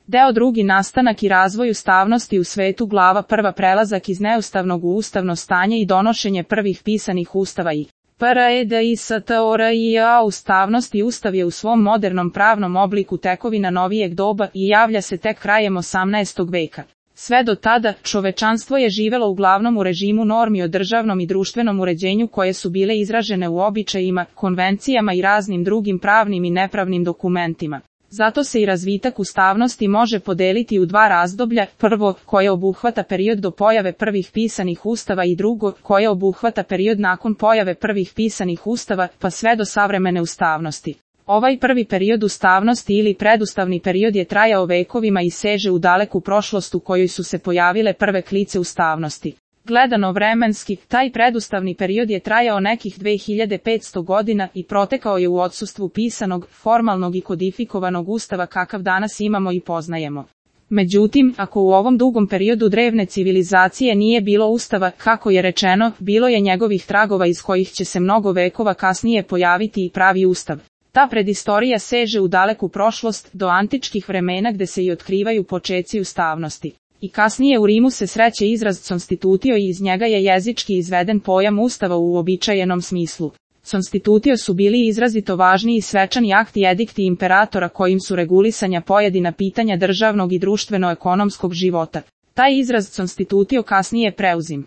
Deo drugi nastanak i razvoj ustavnosti u svetu glava prva prelazak iz neustavnog u ustavno stanje i donošenje prvih pisanih ustava i PREDISTORIA ustavnost i ustav je u svom modernom pravnom obliku tekovina novijeg doba i javlja se tek krajem 18. veka. Sve do tada, čovečanstvo je živelo uglavnom u režimu normi o državnom i društvenom uređenju koje su bile izražene u običajima, konvencijama i raznim drugim pravnim i nepravnim dokumentima. Zato se i razvitak ustavnosti može podeliti u dva razdoblja, prvo, koje obuhvata period do pojave prvih pisanih ustava i drugo, koje obuhvata period nakon pojave prvih pisanih ustava, pa sve do savremene ustavnosti. Ovaj prvi period ustavnosti ili predustavni period je trajao vekovima i seže u daleku prošlost u kojoj su se pojavile prve klice ustavnosti. Gledano vremenski, taj predustavni period je trajao nekih 2500 godina i protekao je u odsustvu pisanog, formalnog i kodifikovanog ustava kakav danas imamo i poznajemo. Međutim, ako u ovom dugom periodu drevne civilizacije nije bilo ustava, kako je rečeno, bilo je njegovih tragova iz kojih će se mnogo vekova kasnije pojaviti i pravi ustav. Ta predistorija seže u daleku prošlost, do antičkih vremena gde se i otkrivaju počeci ustavnosti. I kasnije u Rimu se sreće izraz constitutio i iz njega je jezički izveden pojam ustava u uobičajenom smislu. Constitutio su bili izrazito važni i svečani akti i edikti imperatora kojim su regulisanja pojedina pitanja državnog i društveno-ekonomskog života. Taj izraz constitutio kasnije preuzim.